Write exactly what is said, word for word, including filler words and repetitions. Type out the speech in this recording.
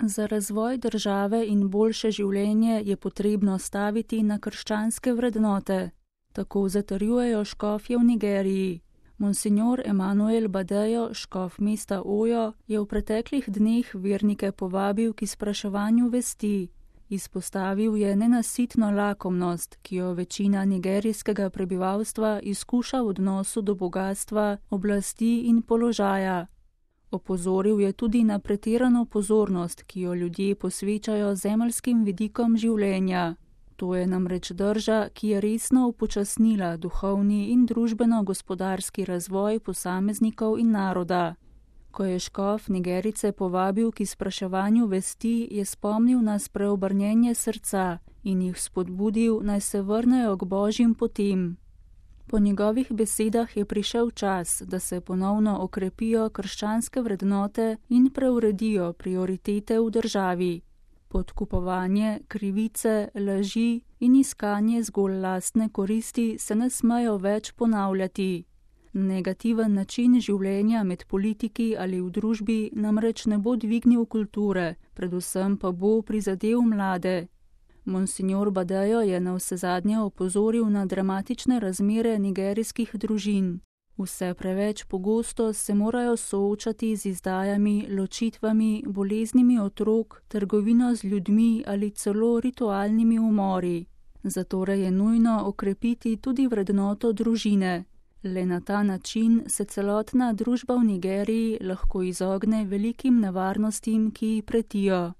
Za razvoj države in boljše življenje je potrebno staviti na krščanske vrednote. Tako zatrjujejo škofje v Nigeriji. Monsignor Emanuel Badejo, škof mesta Ojo, je v preteklih dneh vernike povabil k izpraševanju vesti. Izpostavil je nenasitno lakomnost, ki jo večina nigerijskega prebivalstva izkuša v odnosu do bogatstva, oblasti in položaja. Opozoril je tudi na pretirano pozornost, ki jo ljudje posvečajo zemeljskim vidikom življenja. To je namreč drža, ki je resno upočasnila duhovni in družbeno-gospodarski razvoj posameznikov in naroda. Ko je škof Nigerice povabil k izpraševanju vesti, je spomnil na spreobrnjenje srca in jih spodbudil, naj se vrnejo k božjim potem. Po njegovih besedah je prišel čas, da se ponovno okrepijo krščanske vrednote in preuredijo prioritete v državi. Podkupovanje, krivice, laži in iskanje zgolj lastne koristi se ne smejo več ponavljati. Negativen način življenja med politiki ali v družbi namreč ne bo dvignil kulture, predvsem pa bo prizadel mlade. Monsignor Badejo je navsezadnje opozoril na dramatične razmere nigerijskih družin. Vse preveč pogosto se morajo soočati z izdajami, ločitvami, boleznimi otrok, trgovino z ljudmi ali celo ritualnimi umori. Zatorej je nujno okrepiti tudi vrednoto družine. Le na ta način se celotna družba v Nigeriji lahko izogne velikim nevarnostim, ki ji pretijo.